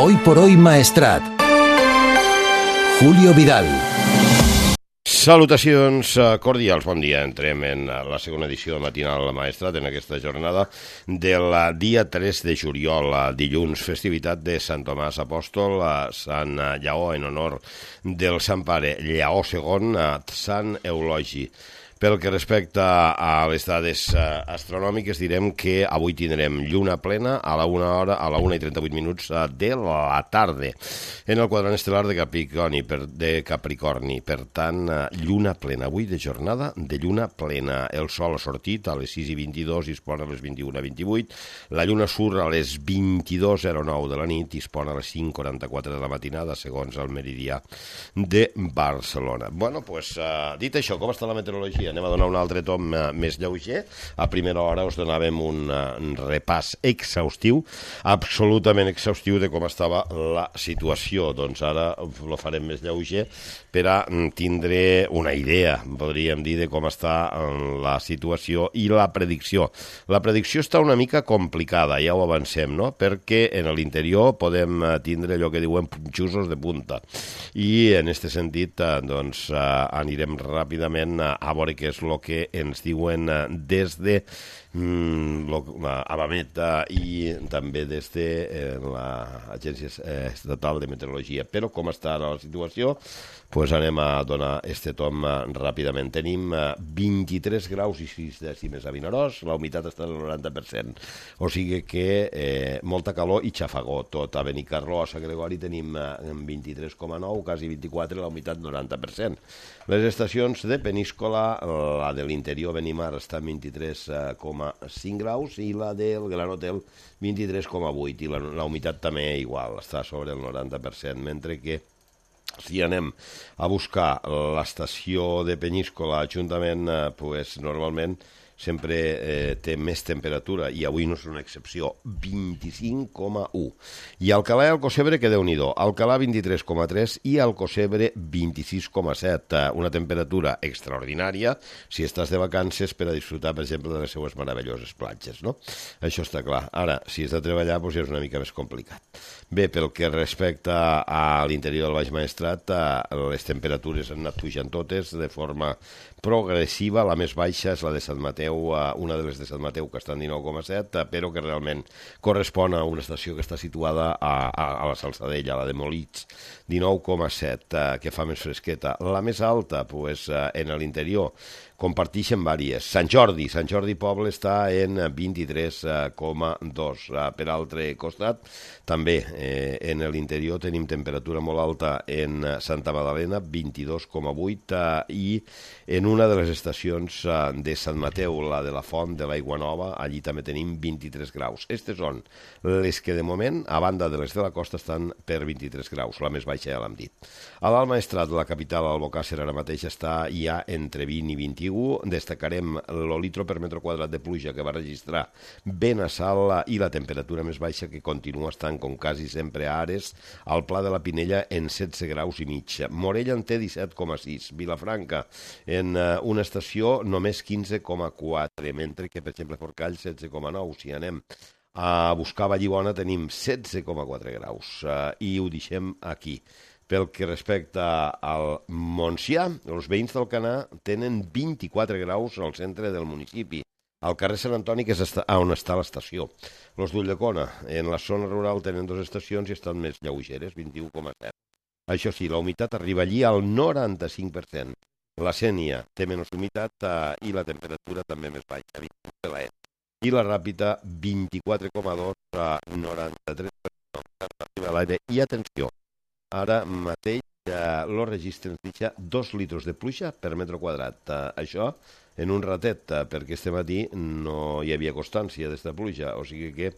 Hoy por hoy Maestrat. Julio Vidal. Salutacions cordials, bon dia. Entrem en la segona edició de Matinal Maestrat en aquesta jornada del dia 3 de juliol, dilluns, festivitat de Sant Tomàs Apòstol, Sant Lleó en honor del Sant Pare Lleó II, Sant Eulogi. Pel que respecta a les dades astronòmiques, direm que avui tindrem lluna plena a la 1 hora, a la 1:38 de la tarda, en el quadrant estel·lar de Capricorni. Per tant, lluna plena. Avui de jornada de lluna plena. El sol ha sortit a les 6:22 i es pon a les 21:28. La lluna surt a les 22:09 de la nit i es pon a les 5:44 de la matinada, segons el meridià de Barcelona. Bueno, doncs, dit això, com està la meteorologia? Anem a donar un altre tom més lleuger. A primera hora us donàvem un repàs exhaustiu, absolutament exhaustiu, de com estava la situació. Doncs ara ho farem més lleuger per a tindre una idea, podríem dir, de com està la situació i la predicció. La predicció està una mica complicada, ja ho avancem, no? Perquè en l'interior podem tindre allò que diuen punxusos de punta. I en aquest sentit, doncs, anirem ràpidament a veure què és el que ens diuen des de Abamet i també des de l'Agència Estatal de Meteorologia. Però com està ara la situació? Doncs anem a donar este tom ràpidament. Tenim 23 graus i 6 dècimes a Vinaròs, la humitat està al 90%, o sigui que molta calor i xafagó tot. A Benicarló, a Sant Gregori, tenim 23,9, quasi 24, la humitat 90%. Les estacions de Peníscola, la de l'interior Benimar està en 23,5 graus i la del Gran Hotel 23,8, i la humitat també igual, està sobre el 90%, mentre que si anem a buscar l'estació de Peníscola, Ajuntament, pues, normalment sempre té més temperatura, i avui no és una excepció, 25,1. I Alcalà i Alcocebre, que Déu-n'hi-do, Alcalà 23,3 i Alcocebre 26,7. Una temperatura extraordinària si estàs de vacances per a disfrutar, per exemple, de les seues meravelloses platges, no? Això està clar. Ara, si has de treballar, doncs ja és una mica més complicat. Bé, pel que respecta a l'interior del Baix Maestrat, les temperatures han anat pujant totes de forma progressiva. La més baixa és la de Sant Mateu, una de les de Sant Mateu, que està en 19,7, però que realment correspon a una estació que està situada a la Salzadella, la de Molits, 19,7, que fa més fresqueta. La més alta, doncs, en l'interior, comparteixen vàries. Sant Jordi Poble està en 23,2. Per altre costat, també en l'interior tenim temperatura molt alta en Santa Magdalena, 22,8, i en una de les estacions de Sant Mateu, la de la Font de l'Aigua Nova, allí també tenim 23 graus. Aquestes són les que de moment, a banda de les de la costa, estan per 23 graus. La més baixa ja l'hem dit. A l'Alt Maestrat, la capital, Albocàsser, ara mateix està ja entre 20 i 21. Destacarem el litro per metre quadrat de pluja que va registrar Benassal i la temperatura més baixa, que continua estant, com quasi sempre a Ares, al Pla de la Pinella en 16 graus i mig. Morella en té 17,6. Vilafranca en una estació només 15,4, mentre que, per exemple, Forcall 16,9. Si anem a buscar Vallibona tenim 16,4 graus, i ho deixem aquí. Pel que respecta al Montsià, els veïns d'Alcanar tenen 24 graus al centre del municipi, al carrer Sant Antoni, que és on està l'estació. Els d'Ulldecona, en la zona rural, tenen 2 estacions i estan més lleugeres, 21,7. Això sí, la humitat arriba allí al 95%. La Sénia té menys humitat i la temperatura també més baixa, 21,7. I la Ràpita, 24,2 a 93% a l'aire. I atenció, ara mateix el registre ens deixa 2 litres de pluja per metre quadrat. Això en un ratet, perquè este matí no hi havia constància d'esta pluja, o sigui que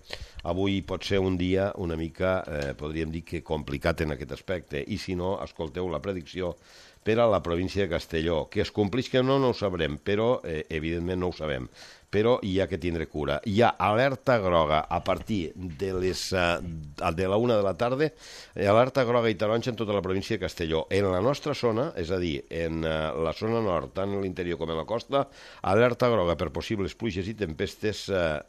avui pot ser un dia una mica, podríem dir que complicat en aquest aspecte, i si no, escolteu la predicció per a la província de Castelló. Que es compleix que no ho sabrem, però evidentment no ho sabem, però hi ha que tindre cura. Hi ha alerta groga a partir de la 1 de la tarda, alerta groga i taronja en tota la província de Castelló. En la nostra zona, és a dir, en la zona nord, tant en l'interior com en la costa, alerta groga per possibles pluges i tempestes a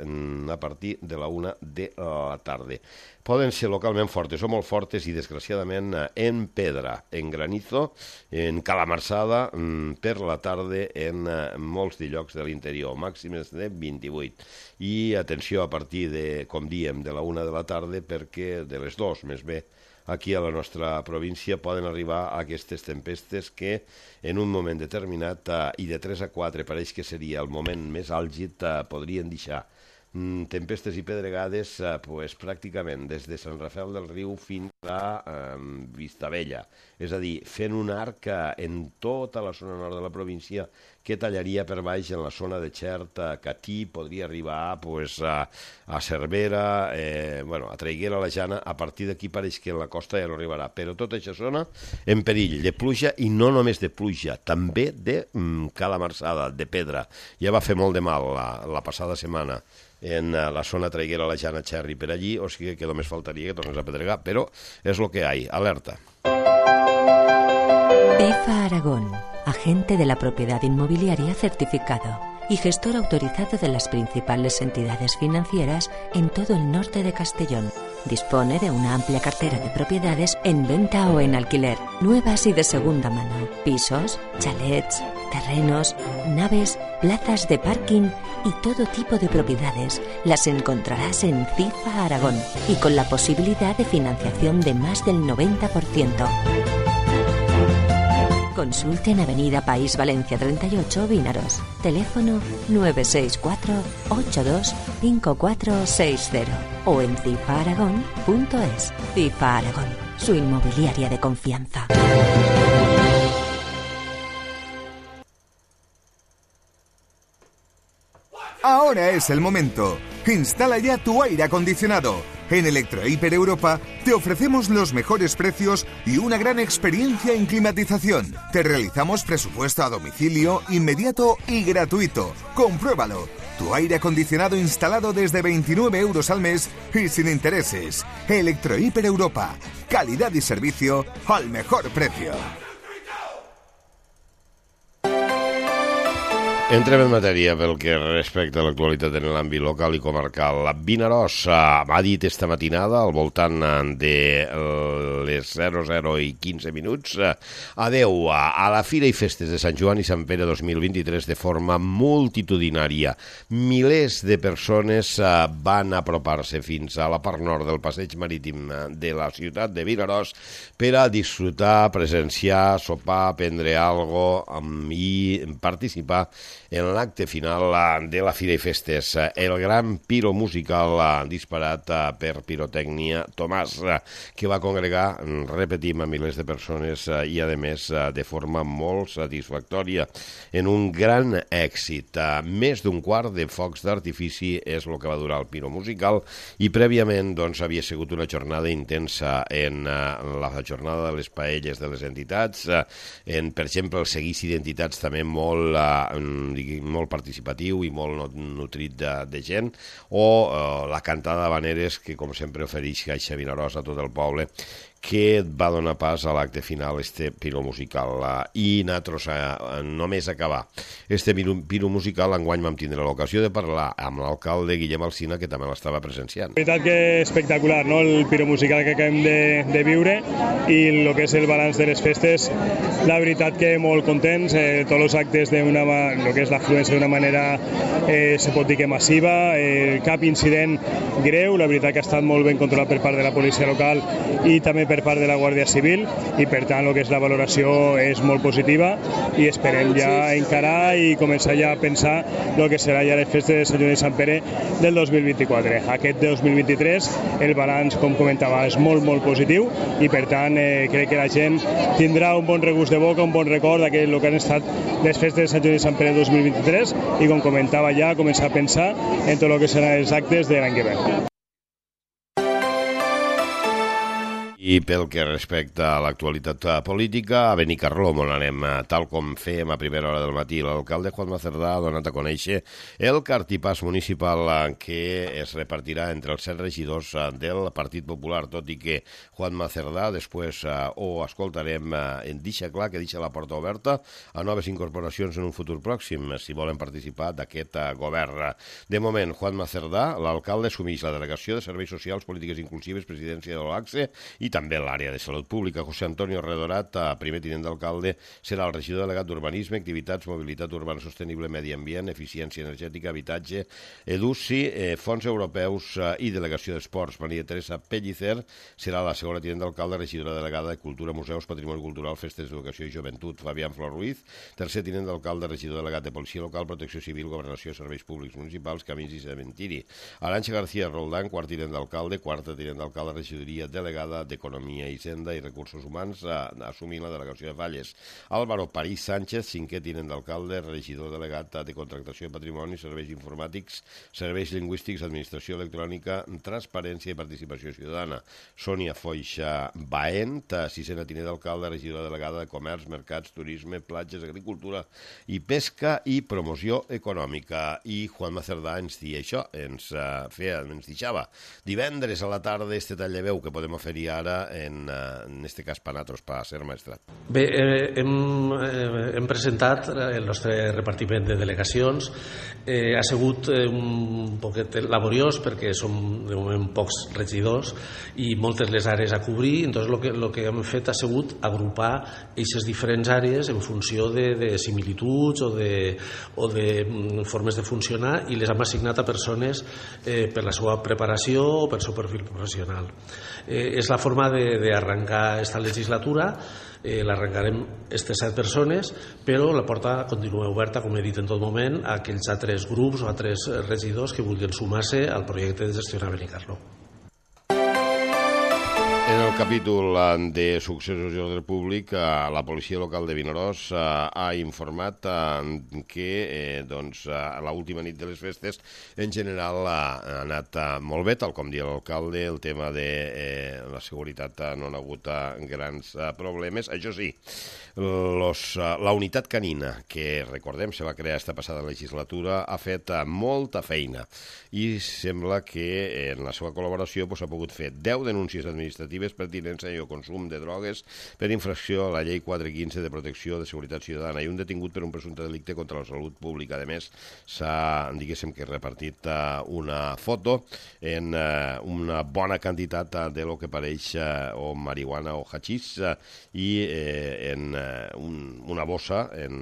partir de la 1 de la tarda. Poden ser localment fortes o molt fortes i, desgraciadament, en pedra, en granizo, en calamarsada, per la tarda en molts de llocs de l'interior, màximes de 28. I atenció a partir de, com diem, de la 1 de la tarda, perquè de les 2, més bé, aquí a la nostra província poden arribar a aquestes tempestes que en un moment determinat i de 3 a 4 pareix que seria el moment més àlgid, podrien deixar tempestes i pedregades pràcticament des de Sant Rafel del Riu fins a Vistabella. És a dir, fent un arc en tota la zona nord de la província que tallaria per baix en la zona de Xert, Catí, podria arribar a Cervera, a Traiguera, a la Jana. A partir d'aquí pareix que en la costa ja no arribarà. Però tota aquesta zona en perill de pluja, i no només de pluja, també de calamarsada, de pedra. Ja va fer molt de mal la passada setmana en la zona Traiguera, la Jana, Xerri, per allí, o sigui que només faltaria que tornés a pedregar, però és lo que hay, alerta. FIFA Aragón, agente de la propiedad inmobiliaria certificado y gestor autorizado de las principales entidades financieras en todo el norte de Castellón. Dispone de una amplia cartera de propiedades en venta o en alquiler, nuevas y de segunda mano, pisos, chalets, terrenos, naves, plazas de parking y todo tipo de propiedades. Las encontrarás en FIFA Aragón y con la posibilidad de financiación de más del 90%. Consulte en Avenida País Valencia 38, Vínaros. Teléfono 964-825460 o en cifaaragón.es. FIFA Aragón, su inmobiliaria de confianza. Ahora es el momento. Instala ya tu aire acondicionado. En Electrohiper Europa te ofrecemos los mejores precios y una gran experiencia en climatización. Te realizamos presupuesto a domicilio, inmediato y gratuito. Compruébalo. Tu aire acondicionado instalado desde 29 euros al mes y sin intereses. Electrohiper Europa. Calidad y servicio al mejor precio. Entrem en matèria pel que respecta a l'actualitat en l'àmbit local i comarcal. Vinaròs m'ha dit esta matinada, al voltant de les 00 i 15 minuts, adeu a la Fira i Festes de Sant Joan i Sant Pere 2023 de forma multitudinària. Milers de persones van apropar-se fins a la part nord del passeig marítim de la ciutat de Vinaròs per a disfrutar, presenciar, sopar, prendre algo i participar en l'acte final de la Fira i Festes. El gran piro musical disparat per Pirotècnia Tomàs, que va congregar, repetim, a milers de persones i, a més, de forma molt satisfactòria, en un gran èxit. Més d'un quart de focs d'artifici és el que va durar el piro musical i prèviament havia sigut una jornada intensa en la jornada de les paelles de les entitats, en, per exemple, el seguici d'entitats també molt participatiu i molt nutrit de gent, o la cantada d'habaneres que, com sempre, ofereix Caixa Vinaròs a tot el poble, que va donar pas a l'acte final, este piro musical. I nosaltres, només acabar este piro musical, enguany vam tindre l'ocasió de parlar amb l'alcalde Guillem Alsina, que també l'estava presenciant. La veritat que espectacular, no?, el piro musical que acabem de viure i el que és el balanç de les festes. La veritat que molt contents, tots els actes, el que és l'afluència d'una manera, se pot dir que massiva, cap incident greu, la veritat que ha estat molt ben controlat per part de la policia local i també per part de la Guàrdia Civil, i per tant el que és la valoració és molt positiva i esperem ja encarar i començar ja a pensar el que serà ja les festes de Sant Joan i Sant Pere del 2024. Aquest 2023 el balanç, com comentava, és molt positiu i per tant crec que la gent tindrà un bon regust de boca, un bon record d'aquell que han estat les festes de Sant Joan i Sant Pere 2023 i, com comentava, ja començar a pensar en tot el que seran els actes de l'any que ve. I pel que respecta a l'actualitat política, a Benicarló on anem, tal com fèiem a primera hora del matí. L'alcalde Juanma Cerdà ha donat a conèixer el cartipàs municipal que es repartirà entre els 7 regidors del Partit Popular, tot i que Juanma Cerdà després ho escoltarem, deixa clar que deixa la porta oberta a noves incorporacions en un futur pròxim, si volen participar d'aquest govern. De moment, Juanma Cerdà, l'alcalde, assumeix la delegació de Serveis Socials, Polítiques Inclusives, Presidència de l'OACSE i també l'àrea de Salut Pública. José Antonio Redorat, primer tinent d'alcalde, serà el regidor delegat d'Urbanisme, Activitats, Mobilitat Urbana Sostenible, Medi Ambient, Eficiència Energètica, Habitatge, EDUCI, Fons Europeus i Delegació d'Esports. Maria Teresa Pellicer serà la segona tinent d'alcalde, regidora delegada de Cultura, Museus, Patrimoni Cultural, Festes d'Educació i Joventut. Fabián Flor Ruiz, tercer tinent d'alcalde, regidor delegat de Policia Local, Protecció Civil, Governació, Serveis Públics Municipals, Camins i Cementiri. Arantxa García Roldán, quart tinent d'alcalde, quarta tinent d'alcalde, regidoria delegada d'Economia, Hisenda i Recursos Humans, assumint la delegació de Falles. Álvaro París Sánchez, cinquè tinent d'alcalde, regidor delegat de Contractació de Patrimoni, Serveis Informàtics, Serveis Lingüístics, Administració Electrònica, Transparència i Participació Ciutadana. Sònia Foixa Baent, sisena tinent d'alcalde, regidora delegada de Comerç, Mercats, Turisme, Platges, Agricultura i Pesca i Promoció Econòmica. I Juanma Cerdà ens deia això, ens deixava divendres a la tarda este tall de veu que podem oferir ara en este cas per nosaltres, per ser Maestrat. Bé, hem presentat el nostre repartiment de delegacions. Ha sigut un poquet laboriós perquè som de moment pocs regidors i moltes les àrees a cobrir, entonces el que hem fet ha sigut agrupar aquestes diferents àrees en funció de similituds o de formes de funcionar i les hem assignat a persones per la seva preparació o per el seu perfil professional. És la forma d'arrencar esta legislatura. L'arrencarem aquestes 7 persones, però la porta continua oberta, com he dit en tot moment, a aquells altres grups o altres regidors que vulguin sumar-se al projecte de gestionar Benicarló. En el capítol de successos i ordre públic, la policia local de Vinaròs ha informat que l'última nit de les festes en general ha anat molt bé, tal com dia l'alcalde. El tema de la seguretat no ha hagut grans problemes. Això sí, la unitat canina, que recordem se va crear esta passada legislatura, ha fet molta feina i sembla que en la seva col·laboració s'ha pogut fer 10 denúncies administratives per tinença i consum de drogues per infracció a la llei 415 de protecció de seguretat ciutadana i un detingut per un presumpte delicte contra la salut pública. A més, s'ha, diguéssim, que repartit una foto en una bona quantitat de lo que pareix o marihuana o hachís i en una bossa, en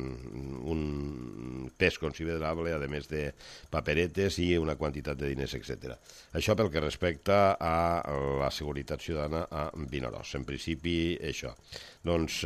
un pes considerable, a més de paperetes i una quantitat de diners, etc. Això pel que respecta a la seguretat ciutadana a Vinaròs. En principi, això. Doncs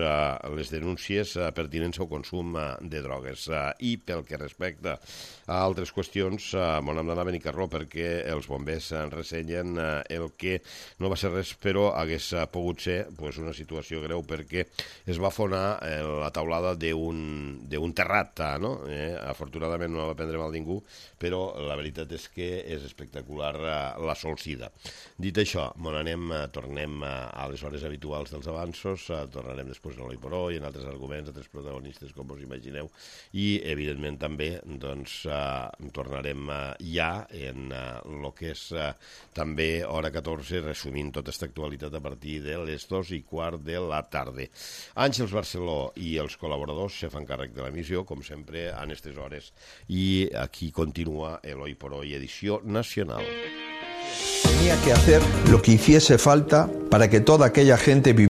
les denúncies pertinents al consum de drogues. I pel que respecta a altres qüestions, m'ho hem d'anar a Benicarló perquè els bombers ressenyen el que no va ser res, però hagués pogut ser una situació greu perquè es va afonar la taulada d'un terrat. Afortunadament no va prendre mal ningú, però la veritat és que és espectacular la solsida. Dit això, tornem a les hores habituals dels avanços, tornarem després a l'Oi por Hoy, en altres arguments, altres protagonistes, com us imagineu, i evidentment també tornarem ja en el que és també hora 14, resumint tota aquesta actualitat a partir de les 2:15 de la tarda. Àngels Barceló i els col·laboradors se fan càrrec de l'emissió, com sempre, en aquestes hores. I aquí continua el Hoy por Hoy, edició nacional. Tenía que hacer lo que hiciese falta para que toda aquella gente viviera